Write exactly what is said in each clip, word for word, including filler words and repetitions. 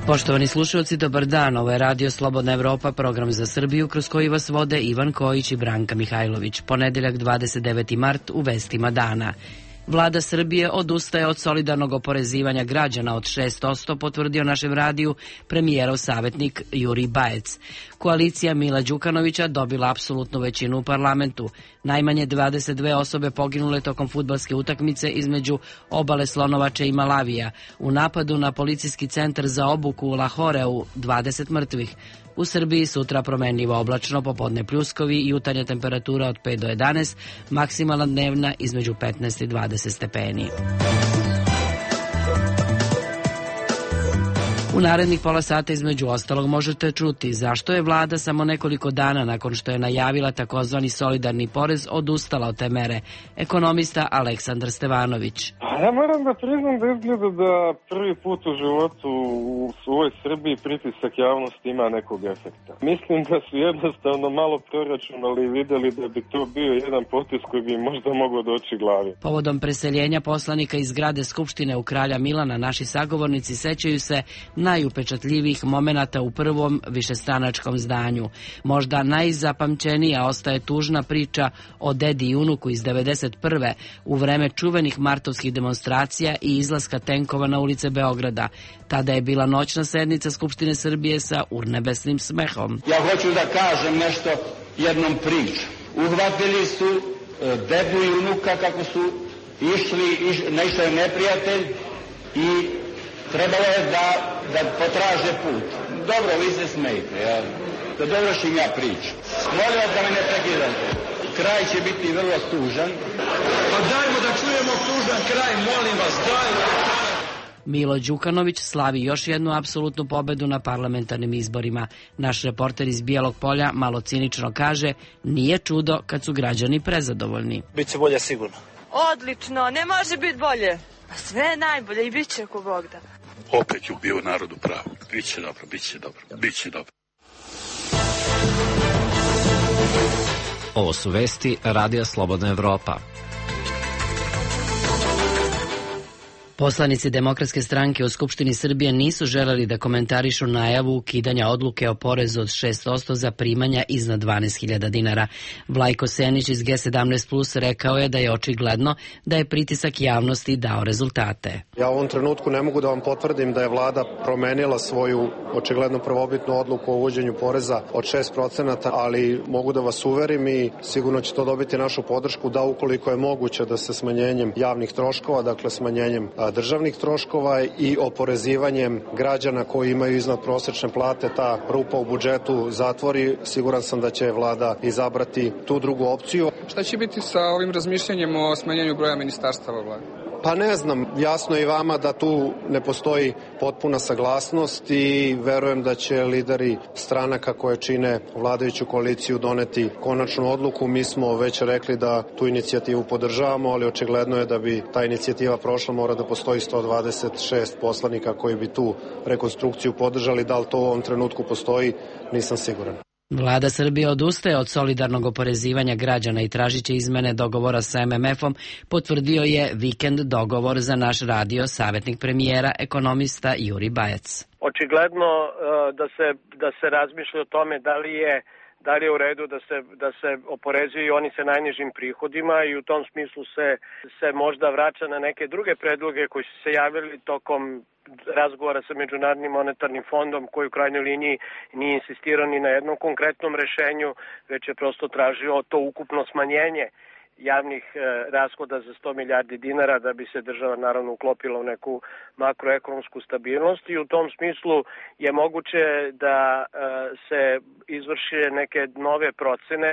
Poštovani slušalci, dobar dan. Ovo je Radio Slobodna Evropa, program za Srbiju kroz koji vas vode Ivan Kojić i Branka Mihajlović. Ponedeljak dvadeset deveti mart u vestima dana. Vlada Srbije odustaje od solidarnog oporezivanja građana od šest posto, potvrdio našem radiju premijerov savjetnik Juri Bajec. Koalicija Mila Đukanovića dobila apsolutnu većinu u parlamentu. Najmanje dvadeset dve osobe poginule tokom fudbalske utakmice između Obale Slonovače i Malavija. U napadu na policijski centar za obuku u Lahoreu dvadeset mrtvih. U Srbiji sutra promenljivo oblačno, popodne pljuskovi i jutarnja temperatura od pet do jedanaest, maksimalna dnevna između petnaest i dvadeset stepeni. U narednih pola sata između ostalog možete čuti zašto je vlada samo nekoliko dana nakon što je najavila takozvani solidarni porez odustala od te mere. Ekonomista Aleksandar Stevanović. Ja moram da priznam da izgleda da prvi put u životu u ovoj Srbiji pritisak javnosti ima nekog efekta. Mislim da su jednostavno malo proračunali i videli da bi to bio jedan potez koji bi možda mogao doći glavi. Povodom preseljenja poslanika iz zgrade Skupštine u Kralja Milana naši sagovornici sećaju se najupečatljivijih momenata u prvom višestranačkom zdanju. Možda najzapamćenija ostaje tužna priča o dedi i unuku iz devedeset prve u vreme čuvenih martovskih demonstracija i izlaska tenkova na ulice Beograda. Tada je bila noćna sednica Skupštine Srbije sa urnebesnim smehom. Ja hoću da kažem nešto jednom priču. Uhvatili su dedu i unuka kako su išli, iš, naišao je neprijatelj i trebalo je da, da potraže put. Dobro, vi se smejte, ja. Da dovršim ja priču. Molim vas da me ne prekidate. Kraj će biti vrlo tužan. Pa dajmo da čujemo tužan kraj, molim vas, dajmo. Milo Đukanović slavi još jednu apsolutnu pobedu na parlamentarnim izborima. Naš reporter iz Bijelog Polja malo cinično kaže, nije čudo kad su građani prezadovoljni. Biće bolje sigurno. Odlično, ne može biti bolje. Sve je najbolje i bit će ko Bog da. Opet je bio narodu pravo. Biće dobro, biće dobro, biće dobro. Ovo su vesti Radija Slobodna Evropa. Poslanici Demokratske stranke u Skupštini Srbije nisu želeli da komentarišu najavu ukidanja odluke o porezu od šest posto za primanja iznad dvanaest hiljada dinara. Vlajko Senić iz G sedamnaest plus rekao je da je očigledno da je pritisak javnosti dao rezultate. Ja u ovom trenutku ne mogu da vam potvrdim da je vlada promenila svoju očigledno prvobitnu odluku o uvođenju poreza od šest procenata, ali mogu da vas uverim i sigurno će to dobiti našu podršku da ukoliko je moguće da se smanjenjem javnih troškova, dakle smanjenjem državnih troškova i oporezivanjem građana koji imaju iznad prosečne plate ta rupa u budžetu zatvori, siguran sam da će vlada izabrati tu drugu opciju. Šta će biti sa ovim razmišljanjem o smanjenju broja ministarstava vlade? Pa ne znam, jasno je i vama da tu ne postoji potpuna saglasnost i verujem da će lideri stranaka koje čine vladajuću koaliciju doneti konačnu odluku. Mi smo već rekli da tu inicijativu podržavamo, ali očigledno je da bi ta inicijativa prošla, mora da postoji sto dvadeset šest poslanika koji bi tu rekonstrukciju podržali. Da li to u ovom trenutku postoji, nisam siguran. Vlada Srbije odustaje od solidarnog oporezivanja građana i tražit će izmene dogovora sa M M F-om, potvrdio je vikend dogovor za naš radio savjetnik premijera, ekonomista Juri Bajec. Očigledno da se, da se razmišlja o tome da li je da li je u redu da se, da se oporezuju oni sa najnižim prihodima i u tom smislu se, se možda vraća na neke druge predloge koji su se javili tokom razgovora sa Međunarodnim monetarnim fondom, koji u krajnjoj liniji nije insistirao ni na jednom konkretnom rešenju, već je prosto tražio to ukupno smanjenje javnih e, rashoda za sto milijardi dinara da bi se država naravno uklopila u neku makroekonomsku stabilnost i u tom smislu je moguće da e, se izvrše neke nove procene.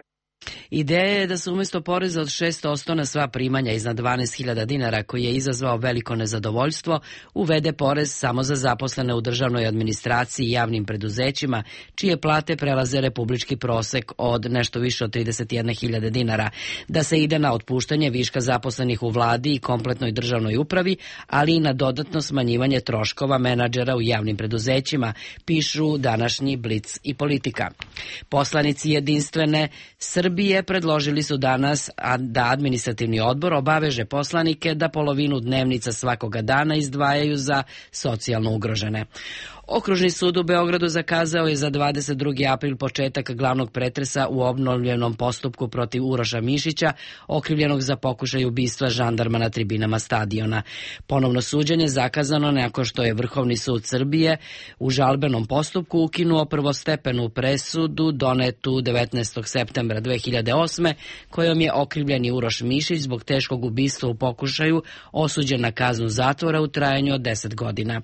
Ideja je da se umjesto poreza od šest posto na sva primanja iznad dvanaest hiljada dinara, koji je izazvao veliko nezadovoljstvo, uvede porez samo za zaposlene u državnoj administraciji i javnim preduzećima, čije plate prelaze republički prosek od nešto više od trideset jedne hiljade dinara, da se ide na otpuštanje viška zaposlenih u vladi i kompletnoj državnoj upravi, ali i na dodatno smanjivanje troškova menadžera u javnim preduzećima, pišu današnji Blic i Politika. Poslanici Jedinstvene Srbije predložili su danas da administrativni odbor obaveže poslanike da polovinu dnevnica svakoga dana izdvajaju za socijalno ugrožene. Okružni sud u Beogradu zakazao je za dvadeset drugi april početak glavnog pretresa u obnovljenom postupku protiv Uroša Mišića, okrivljenog za pokušaj ubistva žandarma na tribinama stadiona. Ponovno suđenje zakazano nakon što je Vrhovni sud Srbije u žalbenom postupku ukinuo prvostepenu presudu donetu devetnaestog septembra dve hiljade osme, kojom je okrivljeni Uroš Mišić zbog teškog ubistva u pokušaju osuđen na kaznu zatvora u trajanju od deset godina.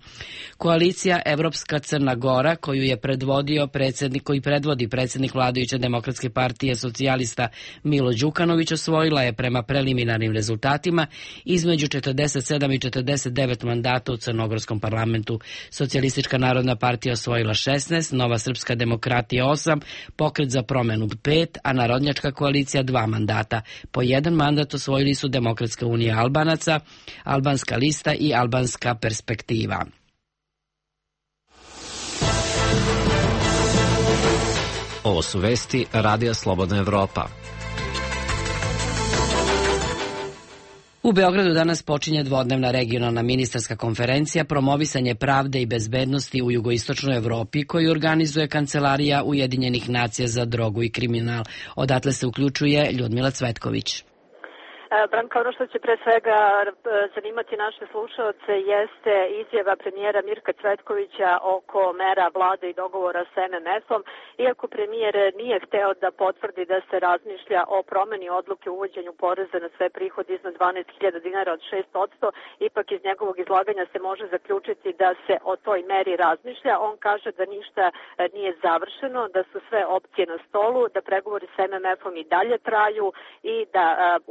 Koalicija Evropska Crna Gora, koju je predvodio predsjednik, koji predvodi predsjednik vladajuće Demokratske partije socijalista Milo Đukanović, osvojila je prema preliminarnim rezultatima između četrdeset sedam i četrdeset devet mandata u crnogorskom parlamentu. Socijalistička narodna partija osvojila šesnaest, Nova srpska demokratija osam, Pokret za promenu pet, a Narodnjačka koalicija dva mandata. Po jedan mandat osvojili su Demokratska unija Albanaca, Albanska lista i Albanska perspektiva. Ovo su vesti Radija Slobodna Evropa. U Beogradu danas počinje dvodnevna regionalna ministarska konferencija Promovisanje pravde i bezbednosti u jugoistočnoj Evropi, koju organizuje Kancelarija Ujedinjenih nacija za drogu i kriminal. Odatle se uključuje Ljudmila Cvetković. Branka, ono što će pre svega zanimati naše slušaoce jeste izjava premijera Mirka Cvetkovića oko mera vlade i dogovora sa em em efom. Iako premijer nije hteo da potvrdi da se razmišlja o promeni odluke o uvođenju poreza na sve prihode iznad dvanaest hiljada dinara od šest posto, ipak iz njegovog izlaganja se može zaključiti da se o toj meri razmišlja. On kaže da ništa nije završeno, da su sve opcije na stolu, da pregovori sa em em efom i dalje traju i da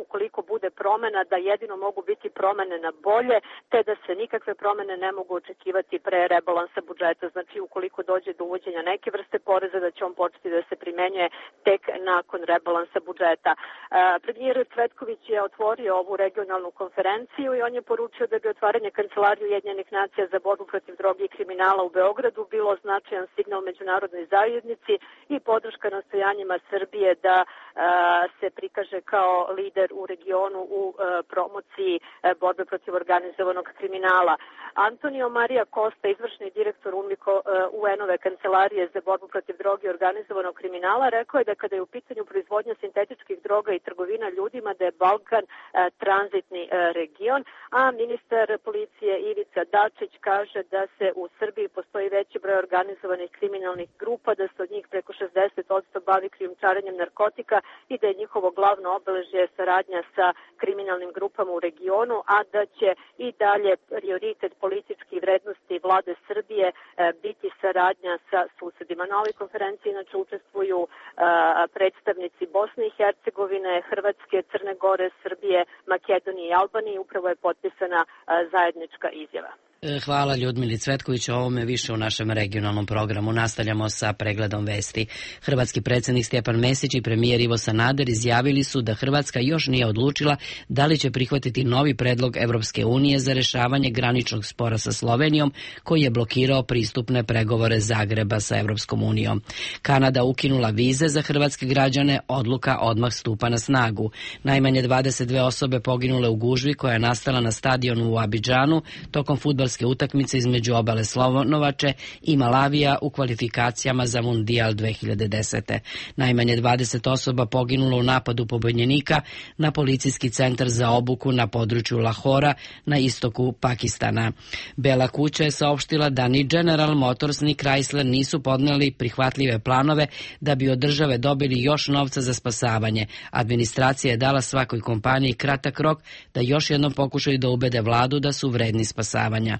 ukoliko bude promena, da jedino mogu biti promene na bolje, te da se nikakve promene ne mogu očekivati pre rebalansa budžeta. Znači, ukoliko dođe do uvođenja neke vrste poreza, da će on početi da se primenjuje tek nakon rebalansa budžeta. Premijer Cvetković je otvorio ovu regionalnu konferenciju i on je poručio da bi otvaranje Kancelarije Ujedinjenih nacija za borbu protiv droge i kriminala u Beogradu bilo značajan signal međunarodnoj zajednici i podrška nastojanjima Srbije da se prikaže kao lider u regionu u promociji borbe protiv organizovanog kriminala. Antonio Maria Costa, izvršni direktor U N-ove Kancelarije za borbu protiv droge i organizovanog kriminala, rekao je da kada je u pitanju proizvodnja sintetičkih droga i trgovina ljudima, da je Balkan tranzitni region, a ministar policije Ivica Dačić kaže da se u Srbiji postoji veći broj organizovanih kriminalnih grupa, da se od njih preko šezdeset posto bavi krijumčarenjem narkotika i da je njihovo glavno obeležje saradnja sa kriminalnim grupama u regionu, a da će i dalje prioritet političkih vrednosti vlade Srbije biti saradnja sa susedima. Na ovoj konferenciji inače učestvuju predstavnici Bosne i Hercegovine, Hrvatske, Crne Gore, Srbije, Makedonije i Albanije. Upravo je potpisana zajednička izjava. Hvala Ljudmili Cvetković, o ovome više u našem regionalnom programu. Nastavljamo sa pregledom vesti. Hrvatski predsjednik Stjepan Mesić i premijer Ivo Sanader izjavili su da Hrvatska još nije odlučila da li će prihvatiti novi predlog Evropske unije za rješavanje graničnog spora sa Slovenijom, koji je blokirao pristupne pregovore Zagreba sa Evropskom unijom. Kanada ukinula vize za hrvatske građane, odluka odmah stupa na snagu. Najmanje dvadeset dve osobe poginule u gužvi koja je nastala na stadionu u Abidžanu tokom fudbalske utakmice između obale Slonovače i Malavija u kvalifikacijama za Mundijal dve hiljade desete. Najmanje dvadeset osoba poginulo u napadu pobunjenika na policijski centar za obuku na području Lahora na istoku Pakistana. Bela kuća je saopštila da ni General Motors ni Chrysler nisu podneli prihvatljive planove da bi od države dobili još novca za spasavanje. Administracija je dala svakoj kompaniji kratak rok da još jednom pokušaju da ubede vladu da su vredni spasavanja.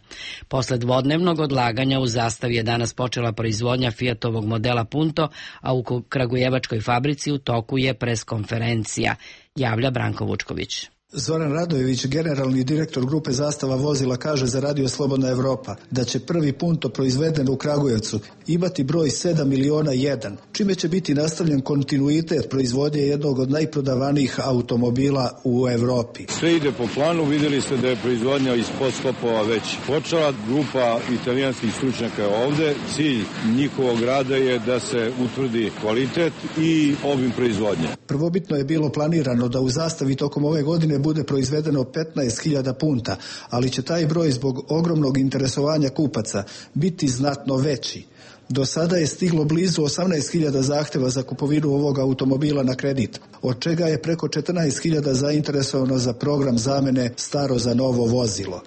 Posle dvodnevnog odlaganja u Zastavi je danas počela proizvodnja Fiatovog modela Punto, a u kragujevačkoj fabrici u toku je preskonferencija, javlja Branko Vučković. Zoran Radojević, generalni direktor grupe Zastava vozila, kaže za Radio Slobodna Evropa da će prvi Punto proizveden u Kragujevcu imati broj sedam miliona jedan, čime će biti nastavljen kontinuitet proizvodnje jednog od najprodavanijih automobila u Evropi. Sve ide po planu, vidjeli ste da je proizvodnja iz podskopova već počela, grupa italijanskih stručnjaka je ovde, cilj njihovog rada je da se utvrdi kvalitet i obim proizvodnje. Prvobitno je bilo planirano da u Zastavi tokom ove godine bude proizvedeno petnaest hiljada punta, ali će taj broj zbog ogromnog interesovanja kupaca biti znatno veći. Do sada je stiglo blizu osamnaest hiljada zahtjeva za kupovinu ovog automobila na kredit, od čega je preko četrnaest hiljada zainteresovano za program zamene staro za novo vozilo.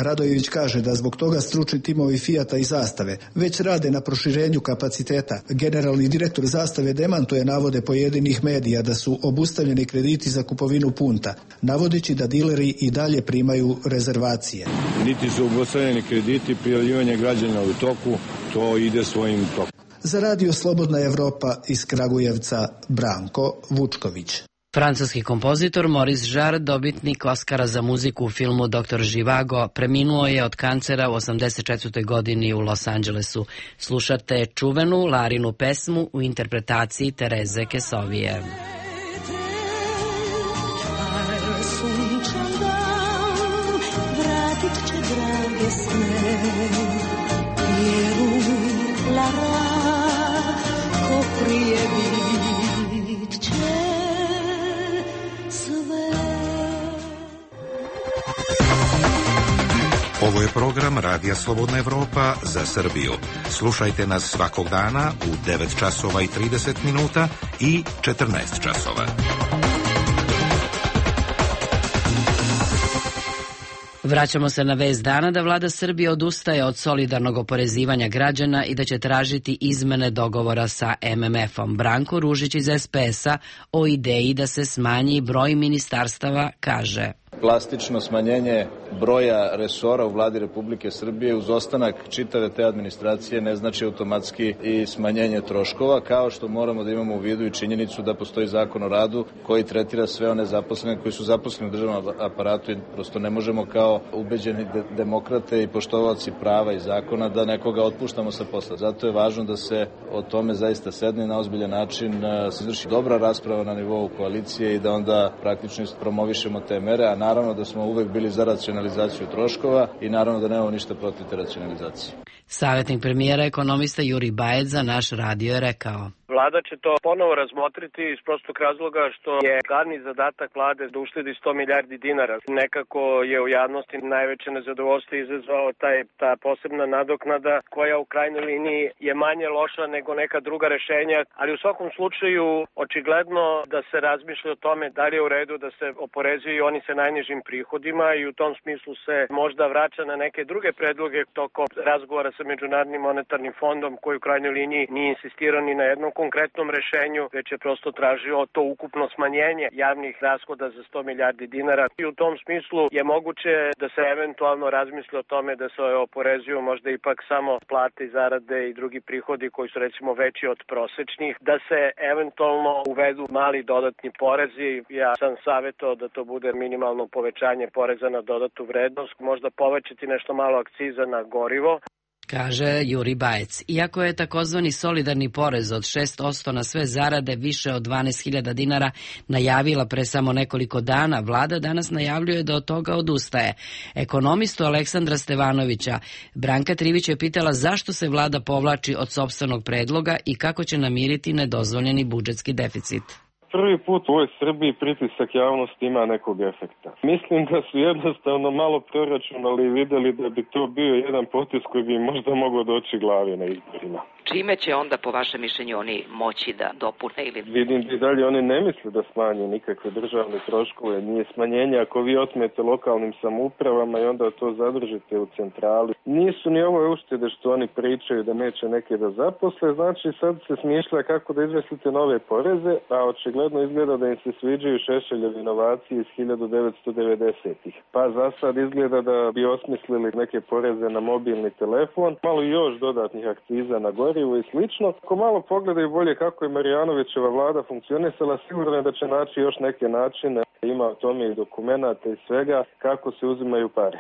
Radojević kaže da zbog toga stručni timovi Fijata i Zastave već rade na proširenju kapaciteta. Generalni direktor Zastave demantuje navode pojedinih medija da su obustavljeni krediti za kupovinu punta, navodeći da dileri i dalje primaju rezervacije. Niti su obustavljeni krediti, prijavljivanje građana u toku, to ide svojim tokom. Za Radio Slobodna Evropa iz Kragujevca, Branko Vučković. Francuski kompozitor Maurice Jarre, dobitnik Oskara za muziku u filmu doktor Živago, preminuo je od kancera u osamdeset četvrtoj godini u Los Angelesu. Slušate čuvenu Larinu pesmu u interpretaciji Tereze Kesovije. Vratit će drage sne, vjeruj, Lara, ko prije bit će. Ovo je program Radija Slobodna Evropa za Srbiju. Slušajte nas svakog dana u devet časova i trideset minuta i četrnaest časova. Vraćamo se na vest dana da vlada Srbije odustaje od solidarnog oporezivanja građana i da će tražiti izmene dogovora sa em em efom. Branko Ružić iz es pe es-a o ideji da se smanji broj ministarstava kaže: Plastično smanjenje broja resora u vladi Republike Srbije uz ostanak čitave te administracije ne znači automatski i smanjenje troškova, kao što moramo da imamo u vidu i činjenicu da postoji zakon o radu koji tretira sve one zaposlene koji su zaposleni u državnom aparatu i prosto ne možemo kao ubeđeni de demokrate i poštovaoci prava i zakona da nekoga otpuštamo sa posla. Zato je važno da se o tome zaista sedne na ozbiljan način, se izvrši dobra rasprava na nivou koalicije i da onda praktično promovišemo te mere, a naravno da smo uvek bili za racionalizaciju troškova i naravno da nemamo ništa protiv te racionalizacije. Savjetnik premijera ekonomista Juri Bajec za naš radio je rekao: Vlada će to ponovo razmotriti iz prostog razloga što je glavni zadatak vlade da uštedi sto milijardi dinara. Nekako je u javnosti najveće nezadovoljstvo izazvao taj, ta posebna nadoknada koja u krajnjoj liniji je manje loša nego neka druga rešenja, ali u svakom slučaju očigledno da se razmišlja o tome da li je u redu da se oporezuju oni sa najnižim prihodima i u tom smislu se možda vraća na neke druge predloge tokom razgovora sa Međunarodnim monetarnim fondom koji u krajnjoj liniji nije insistirao ni na jednom konkretnom rešenju, već je prosto tražio to ukupno smanjenje javnih rashoda za sto milijardi dinara. I u tom smislu je moguće da se eventualno razmisli o tome da se oporezuju možda ipak samo plate i zarade i drugi prihodi koji su recimo veći od prosečnih, da se eventualno uvedu mali dodatni porezi. Ja sam savjetao da to bude minimalno povećanje poreza na dodatu vrednost, možda povećati nešto malo akciza na gorivo. Kaže Juri Bajec. Iako je takozvani solidarni porez od šest posto na sve zarade više od dvanaest hiljada dinara najavila pre samo nekoliko dana, vlada danas najavljuje da od toga odustaje. Ekonomistu Aleksandra Stevanovića Branka Trivić je pitala zašto se vlada povlači od sopstvenog predloga i kako će namiriti nedozvoljeni budžetski deficit. Prvi put u ovoj Srbiji pritisak javnosti ima nekog efekta. Mislim da su jednostavno malo proračunali i videli da bi to bio jedan potez koji bi možda mogao doći glavi na izborima. Čime će onda po vašem mišljenju oni moći da dopune ili... Vidim da i dalje oni ne misle da smanje nikakve državne troškove, nije smanjenje ako vi otmete lokalnim samoupravama i onda to zadržite u centrali. Nisu ni ovo uštede što oni pričaju da neće neke da zaposle, znači sad se smišlja kako da izveslite nove poreze, a očigledno izgleda da im se sviđaju Šešeljev inovacije iz hiljadu devetsto devedesetih. Pa za sad izgleda da bi osmislili neke poreze na mobilni telefon, malo još dodatnih akciza na gorivo i slično. Ako malo pogledaju bolje kako je Marijanovićeva vlada funkcionisala, sigurno je da će naći još neke načine, ima o tome i dokumenata i svega, kako se uzimaju pare.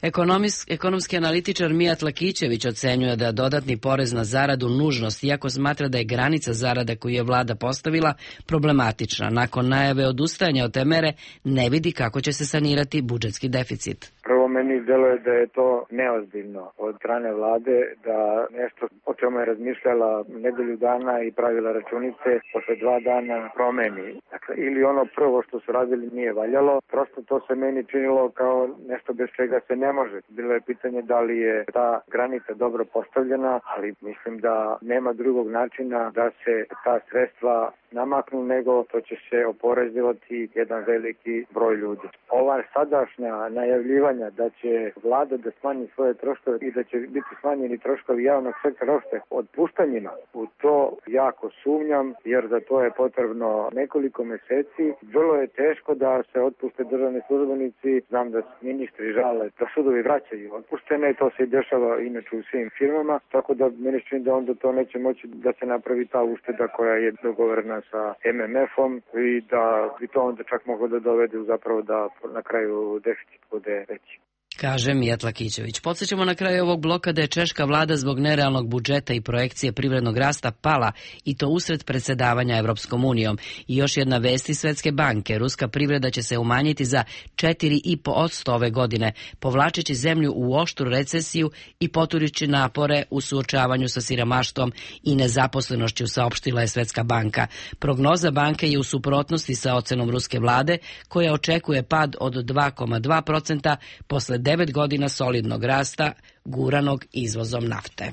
Ekonomis, ekonomski analitičar Mijat Lakićević ocenjuje da dodatni porez na zaradu nužnost, iako smatra da je granica zarada koju je vlada postavila problematična. Nakon najave odustajanja od te mere ne vidi kako će se sanirati budžetski deficit. Prvo meni deluje da je to neozbiljno od strane vlade, da nešto o čemu je razmišljala nedelju dana i pravila računice posle dva dana promeni. Dakle, ili ono prvo što su radili nije valjalo, prosto to se meni činilo kao nešto bez čega se ne može. Bilo je pitanje da li je ta granica dobro postavljena, ali mislim da nema drugog načina da se ta sredstva namaknu, nego to će se oporezivati jedan veliki broj ljudi. Ova sadašnja najavljivanja da će vlada da smanji svoje troškove i da će biti smanjeni troškovi javnog sektora uopšte otpuštanjima, u to jako sumnjam, jer za to je potrebno nekoliko meseci. Vrlo je teško da se otpuste državni službenici, znam da ministri žale da sudovi vraćaju otpuštene, to se i dešava inače u svim firmama, tako da meni čini da onda to neće moći da se napravi ta ušteda koja je dogovorena sa em em efom i da bi to onda čak moglo da dovede zapravo da na kraju deficit bude veći. Kaže Mijatla Kićević. Podsjećamo na kraju ovog bloka da je češka vlada zbog nerealnog budžeta i projekcije privrednog rasta pala i to usred predsjedavanja Evropskom unijom. I još jedna vest iz Svetske banke. Ruska privreda će se umanjiti za četiri zarez pet posto ove godine, povlačeći zemlju u oštru recesiju i poturići napore u suočavanju sa siromaštvom i nezaposlenošću, saopštila je Svetska banka. Prognoza banke je u suprotnosti sa ocenom ruske vlade, koja očekuje pad od dva zarez dva posto posle devet godina solidnog rasta guranog izvozom nafte.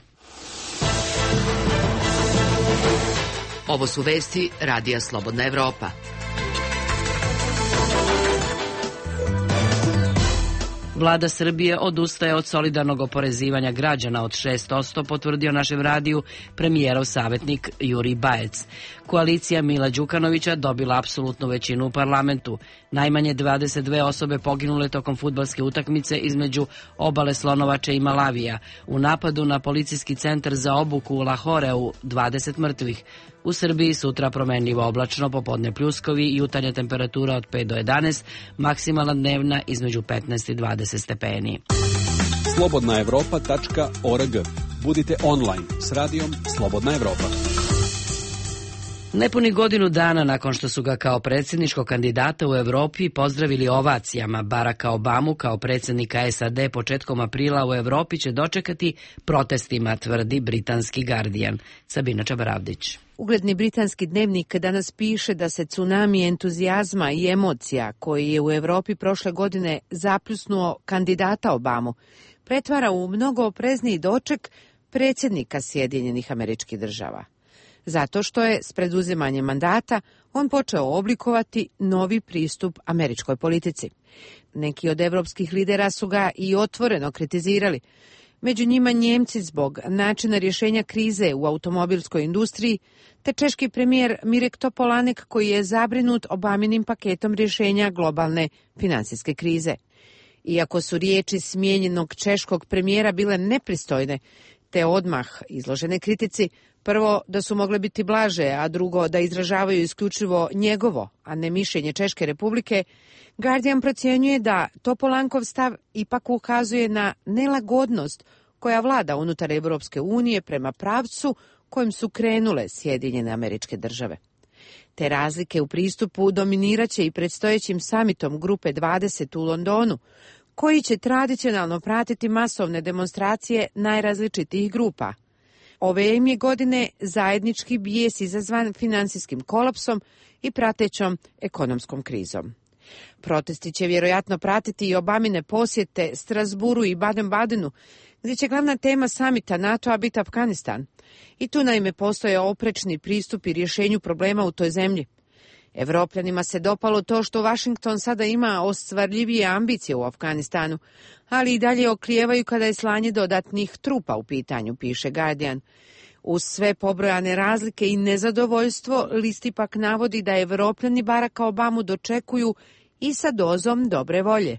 Ovo su vesti Radija Slobodna Evropa. Vlada Srbije odustaje od solidarnog oporezivanja građana od šest posto, potvrdio našem radiju premijerov savjetnik Jurij Bajec. Koalicija Mila Đukanovića dobila apsolutnu većinu u parlamentu. Najmanje dvadeset dve osobe poginule tokom fudbalske utakmice između Obale Slonovače i Malavija. U napadu na policijski centar za obuku u Lahoreu dvadeset mrtvih. U Srbiji sutra promenljivo oblačno, popodne pljuskovi i jutarnja temperatura od pet do jedanaest, maksimalna dnevna između petnaest i dvadeset stepeni. slobodna evropa tačka org. Budite online s radijom Slobodna Evropa. Nepuni godinu dana nakon što su ga kao predsjedničkog kandidata u Evropi pozdravili ovacijama, Baracka Obamu kao predsjednika es a de početkom aprila u Evropi će dočekati protestima, tvrdi britanski Guardian. Sabina Čabaravdić. Ugledni britanski dnevnik danas piše da se tsunami entuzijazma i emocija koji je u Evropi prošle godine zapljusnuo kandidata Obamu pretvara u mnogo oprezniji doček predsjednika Sjedinjenih Američkih Država. Zato što je s preduzimanjem mandata on počeo oblikovati novi pristup američkoj politici. Neki od evropskih lidera su ga i otvoreno kritizirali. Među njima Njemci zbog načina rješenja krize u automobilskoj industriji, te češki premijer Mirek Topolanek koji je zabrinut Obaminim paketom rješenja globalne finansijske krize. Iako su riječi smijenjenog češkog premijera bile nepristojne, te odmah izložene kritici, prvo da su mogle biti blaže, a drugo da izražavaju isključivo njegovo, a ne mišljenje Češke republike, Guardian procjenjuje da Topolankov stav ipak ukazuje na nelagodnost koja vlada unutar Evropske unije prema pravcu kojim su krenule Sjedinjene Američke Države. Te razlike u pristupu dominiraće i predstojećim samitom Grupe dvadeset u Londonu, koji će tradicionalno pratiti masovne demonstracije najrazličitijih grupa. Ove im je godine zajednički bijes izazvan finansijskim kolapsom i pratećom ekonomskom krizom. Protesti će vjerojatno pratiti i Obamine posjete Strasburu i Baden-Badenu, gdje će glavna tema samita NATO-a biti Afganistan. I tu naime postoje oprečni pristupi rješenju problema u toj zemlji. Evropljanima se dopalo to što Washington sada ima ostvarljivije ambicije u Afganistanu, ali i dalje oklijevaju kada je slanje dodatnih trupa u pitanju, piše Guardian. Uz sve pobrojane razlike i nezadovoljstvo, list ipak navodi da Evropljani Baracka Obamu dočekuju i sa dozom dobre volje.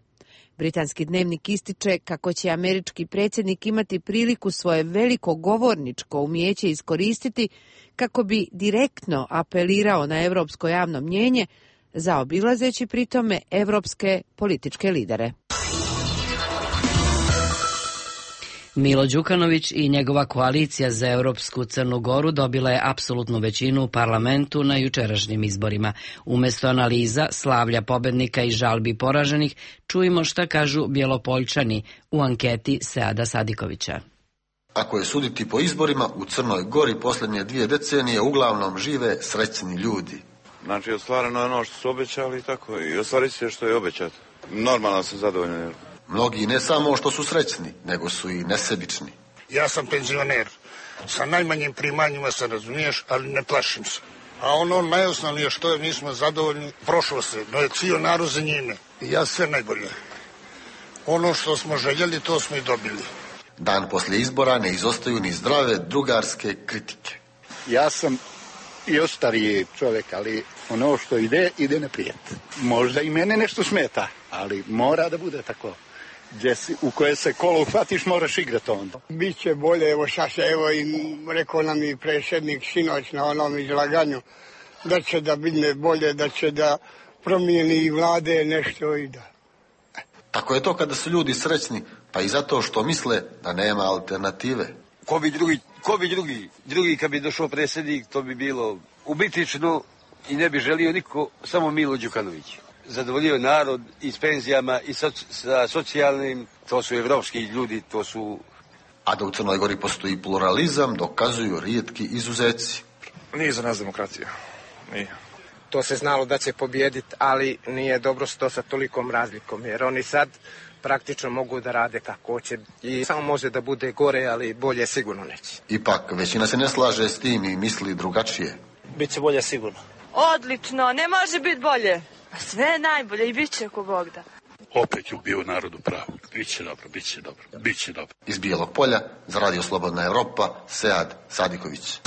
Britanski dnevnik ističe kako će američki predsjednik imati priliku svoje veliko govorničko umijeće iskoristiti kako bi direktno apelirao na evropsko javno mnjenje, zaobilazeći pritome evropske političke lidere. Milo Đukanović i njegova koalicija za Europsku Crnu Goru dobila je apsolutnu većinu u parlamentu na jučerašnjim izborima. Umesto analiza, slavlja pobednika i žalbi poraženih, čujemo šta kažu Bjelopoljčani u anketi Seada Sadikovića. Ako je suditi po izborima, u Crnoj Gori posljednje dvije decenije uglavnom žive srećni ljudi. Znači, ostvareno je ono što su obećali i tako, i ostvarit se što je obećato. Normalno sam zadovoljan. Mnogi ne samo što su srećni, nego su i nesebični. Ja sam penzioner. Sa najmanjim primanjima se razumiješ, ali ne plašim se. A ono najosnovnije što je, mi smo zadovoljni, prošlo se, no je cijel narod za njime. I ja sve najbolje. Ono što smo željeli, to smo i dobili. Dan poslije izbora ne izostaju ni zdrave drugarske kritike. Ja sam još stariji čovjek, ali ono što ide, ide naprijed. Možda i mene nešto smeta, ali mora da bude tako. Gdje si, u koje se kolo uhvatiš, moraš igrati onda. Biće bolje, evo šta se, evo i rekao nam i predsjednik sinoć na onom izlaganju, da će da bine bolje, da će da promijeni i vlade nešto i da. Tako je to kada su ljudi srećni, pa i zato što misle da nema alternative. Ko bi drugi, ko bi drugi, drugi kad bi došao predsjednik, to bi bilo ubitično i ne bi želio niko, samo Milo Đukanović. Zadovoljio narod i s penzijama i sa, sa socijalnim, to su evropski ljudi, to su... A da u Crnoj Gori postoji pluralizam, dokazuju rijetki izuzeci. Nije za nas demokracija, nije. To se znalo da će pobijediti, ali nije dobro što sa tolikom razlikom, jer oni sad praktično mogu da rade kako hoće i samo može da bude gore, ali bolje sigurno neće. Ipak, većina se ne slaže s tim i misli drugačije. Biće bolje sigurno. Odlično, ne može biti bolje. Sve je najbolje i bit će ako Bog da. Opet je bio narodu pravo. Biće dobro, biće dobro, biće dobro. Iz Bijelog Polja, za Radio Slobodna Evropa, Sead Sadiković.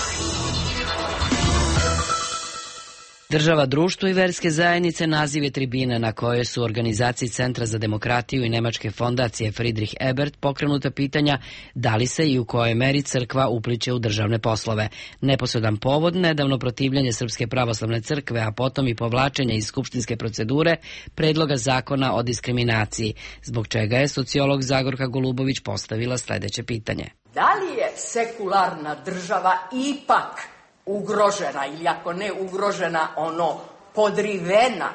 Država, društvo i verske zajednice naziv je tribine na kojoj su organizaciji Centra za demokratiju i Nemačke fondacije Friedrich Ebert pokrenuta pitanja da li se i u kojoj meri crkva upliče u državne poslove. Neposredan povod, nedavno protivljanje Srpske pravoslavne crkve, a potom i povlačenje iz skupštinske procedure predloga zakona o diskriminaciji, zbog čega je sociolog Zagorka Golubović postavila sledeće pitanje. Da li je sekularna država ipak ugrožena, ili ako ne ugrožena, ono podrivena,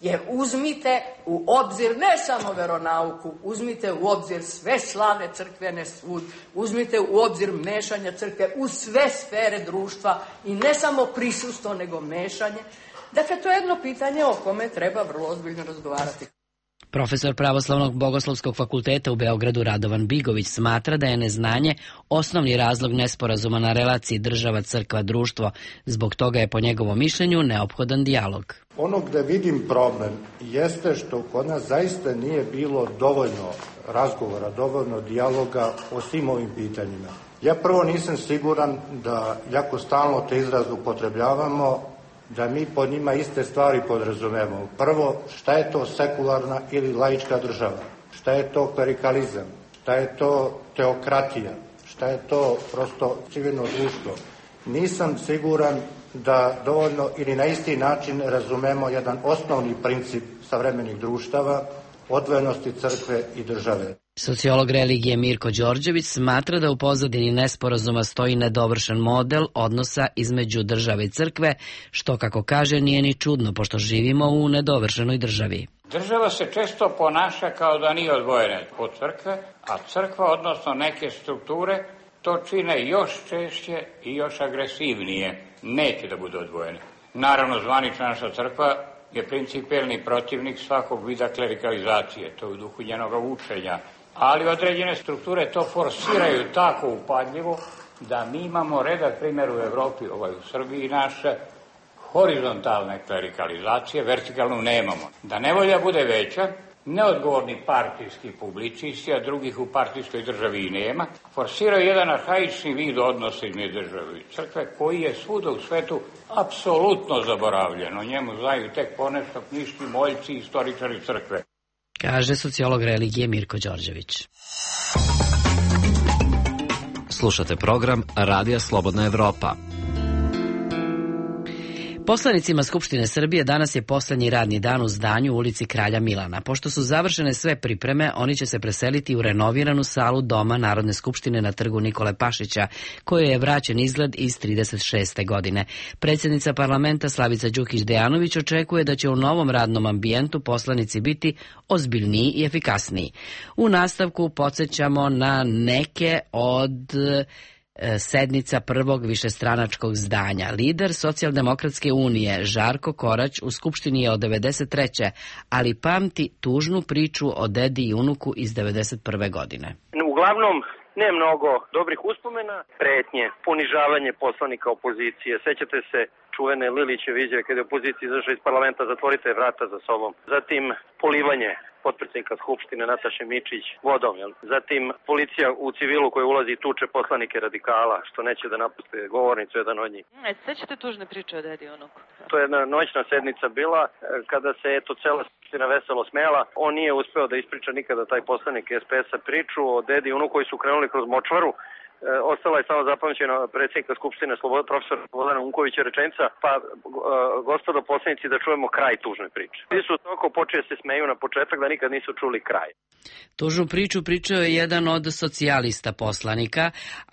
jer uzmite u obzir ne samo veronauku, uzmite u obzir sve slavne crkvene svud, uzmite u obzir mešanja crkve u sve sfere društva i ne samo prisustvo, nego mešanje. Dakle, to je jedno pitanje o kome treba vrlo ozbiljno razgovarati. Profesor Pravoslavnog bogoslovskog fakulteta u Beogradu Radovan Bigović smatra da je neznanje osnovni razlog nesporazuma na relaciji država-crkva-društvo. Zbog toga je po njegovom mišljenju neophodan dijalog. Ono gde vidim problem jeste što kod nas zaista nije bilo dovoljno razgovora, dovoljno dijaloga o svim ovim pitanjima. Ja prvo nisam siguran da, jako stalno te izraze upotrebljavamo, da mi pod njima iste stvari podrazumemo. Prvo, šta je to sekularna ili laička država? Šta je to klerikalizam? Šta je to teokratija? Šta je to prosto civilno društvo? Nisam siguran da dovoljno ili na isti način razumemo jedan osnovni princip savremenih društava, odvojenosti crkve i države. Sociolog religije Mirko Đorđević smatra da u pozadini nesporazuma stoji nedovršen model odnosa između države i crkve, što, kako kaže, nije ni čudno, pošto živimo u nedovršenoj državi. Država se često ponaša kao da nije odvojena od crkve, a crkva, odnosno neke strukture, to čine još češće i još agresivnije. Neće da bude odvojene. Naravno, zvanična naša crkva je principijelni protivnik svakog vida klerikalizacije, to je u duhu njenog učenja. Ali određene strukture to forsiraju tako upadljivo da mi imamo redak primjer u Evropi, ovaj u Srbiji naše, horizontalne klerikalizacije, vertikalnu nemamo. Da nevolja bude veća, neodgovorni partijski publicisti, a drugih u partijskoj državi i nema, forsiraju jedan arhaični vid odnosa između države i crkve, koji je svuda u svetu apsolutno zaboravljen. O njemu znaju tek ponešto knjiški moljci i istoričari crkve. Kaže sociolog religije Mirko Đorđević. Slušate program Radija Slobodna Evropa. Poslanicima Skupštine Srbije danas je poslednji radni dan u zdanju u ulici Kralja Milana. Pošto su završene sve pripreme, oni će se preseliti u renoviranu salu Doma Narodne skupštine na trgu Nikole Pašića, kojoj je vraćen izgled iz trideset šeste. godine. Predsjednica parlamenta Slavica Đukić Dejanović očekuje da će u novom radnom ambijentu poslanici biti ozbiljniji i efikasniji. U nastavku podsjećamo na neke od sednica prvog višestranačkog zdanja. Lider Socijaldemokratske unije Žarko Korać u Skupštini je od devedeset treće. ali pamti tužnu priču o dedi i unuku iz devedeset prve. godine. Uglavnom, ne mnogo dobrih uspomena, pretnje, ponižavanje poslanika opozicije. Sećate se čuvene Lilićeve izjave kada je opozicija izašla iz parlamenta, zatvorite vrata za sobom. Zatim polivanje potpredsjednika Skupštine Nataše Mičić vodom. Jel? Zatim policija u civilu koja ulazi i tuče poslanike radikala, što neće da napuste govornicu jedan od njih. E, sećate tužne priče o dedi i unuku? To je jedna noćna sednica bila kada se eto cela Skupština veselo smela. On nije uspeo da ispriča nikada taj poslanik es pe es-a priču o dedi i unuku koji su krenuli kroz močvaru. E, ostala je samo zapamćena predsjednika Skupštine Sloboda, profesor Slobodana Unkovića rečenica, pa e, gospodo poslanici da čujemo kraj tužne priče. Svi su toliko počeli se smeju na početak da nikad nisu čuli kraj. Tužnu priču pričao je jedan od socijalista poslanika,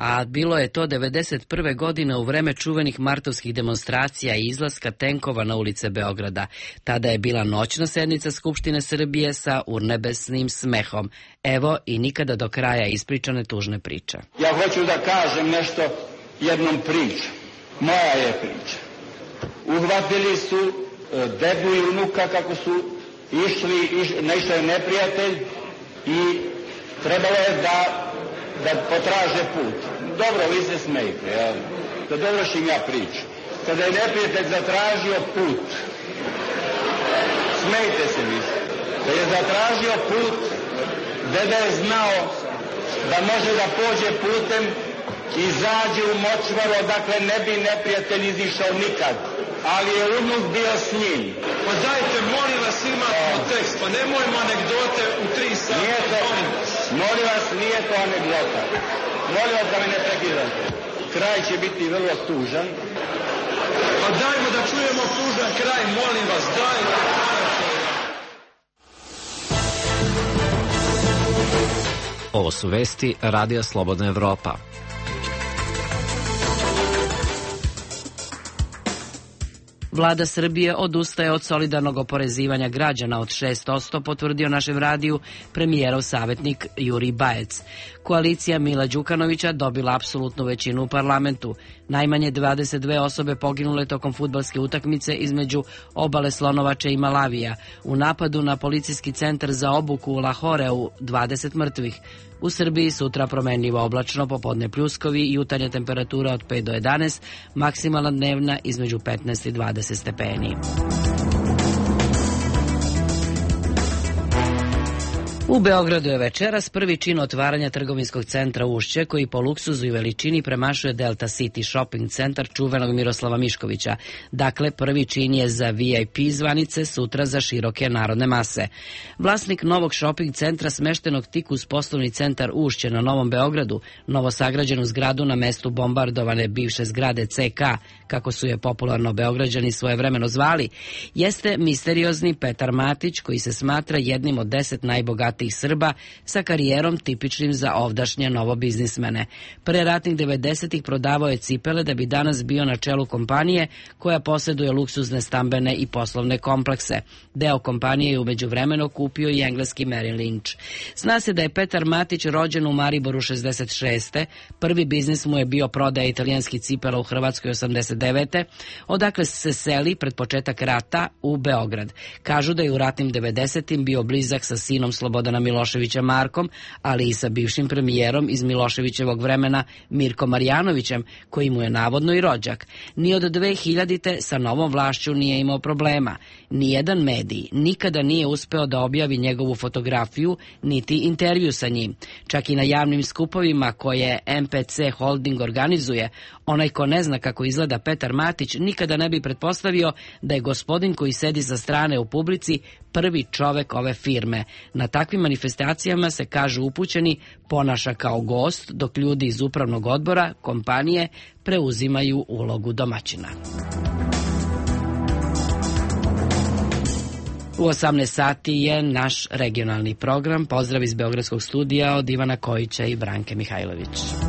a bilo je to devedeset prve. godine u vreme čuvenih martovskih demonstracija i izlaska tenkova na ulice Beograda. Tada je bila noćna sednica Skupštine Srbije sa urnebesnim smehom. Evo i nikada do kraja ispričane tužne priče. Ja hoću da kažem nešto jednom pričom. Moja je priča. Uhvatili su dedu i unuka kako su išli, iš, naišao je neprijatelj i trebalo je da, da potraže put. Dobro, vi se smejte, ja. Da dovršim ja priču. Kada je neprijatelj zatražio put, smejte se vi. Kada je zatražio put, deda je znao da može da pođe putem i zađe u močvaru, odakle ne bi neprijatelj izišao nikad. Ali je unuk bio s njim. Pa dajte, molim vas, imamo tekst, pa nemojmo anegdote u tri sata. Nije to, molim vas, nije to anegdota. Molim vas da me ne prekidate. Kraj će biti vrlo tužan. Pa dajmo da čujemo tužan kraj, molim vas, dajmo. Ovo su vesti Radija Slobodna Evropa. Vlada Srbije odustaje od solidarnog oporezivanja građana od šest posto, potvrdio našem radiju premijerov savjetnik Jurij Bajec. Koalicija Mila Đukanovića dobila apsolutnu većinu u parlamentu. Najmanje dvadeset dve osobe poginule tokom fudbalske utakmice između Obale Slonovače i Malavija. U napadu na policijski centar za obuku u Lahoreu dvadeset mrtvih. U Srbiji sutra promenljivo oblačno, popodne pljuskovi i jutarnja temperatura od pet do jedanaest, maksimalna dnevna između petnaest i dvadeset stepeni. U Beogradu je večeras prvi čin otvaranja trgovinskog centra Ušće, koji po luksuzu i veličini premašuje Delta City Shopping centar čuvenog Miroslava Miškovića. Dakle, prvi čin je za ve i pe zvanice, sutra za široke narodne mase. Vlasnik novog shopping centra smeštenog tik uz poslovni centar Ušće na Novom Beogradu, novosagrađenu zgradu na mestu bombardovane bivše zgrade ce ka, kako su je popularno Beograđani svojevremeno zvali, jeste misteriozni Petar Matić, koji se smatra jednim od deset najbogatijih Srba sa karijerom tipičnim za ovdašnje novobiznismene. Pre ratnih devedesetih prodavao je cipele da bi danas bio na čelu kompanije koja posjeduje luksuzne stambene i poslovne komplekse. Deo kompanije je umeđu vremenu kupio i engleski Merrill Lynch. Zna se da je Petar Matić rođen u Mariboru šezdeset šeste. Prvi biznis mu je bio prodaja italijanskih cipela u Hrvatskoj osamdeset devete. Odakle se seli pred početak rata u Beograd. Kažu da je u ratnim devedesetim bio blizak sa sinom Slobodana Miloševića Markom, ali i sa bivšim premijerom iz Miloševićevog vremena Mirkom Marjanovićem, koji mu je navodno i rođak. Ni od dve hiljadite sa novom vlašću nije imao problema. Nijedan medij nikada nije uspeo da objavi njegovu fotografiju, niti intervju sa njim. Čak i na javnim skupovima koje em pe ce Holding organizuje, onaj ko ne zna kako izgleda Petar Matić nikada ne bi pretpostavio da je gospodin koji sedi sa strane u publici prvi čovek ove firme. Na takvim manifestacijama se, kažu upućeni, ponaša kao gost, dok ljudi iz upravnog odbora kompanije preuzimaju ulogu domaćina. U osamnaest sati je naš regionalni program. Pozdrav iz Beogradskog studija od Ivana Kojića i Branke Mihajlović.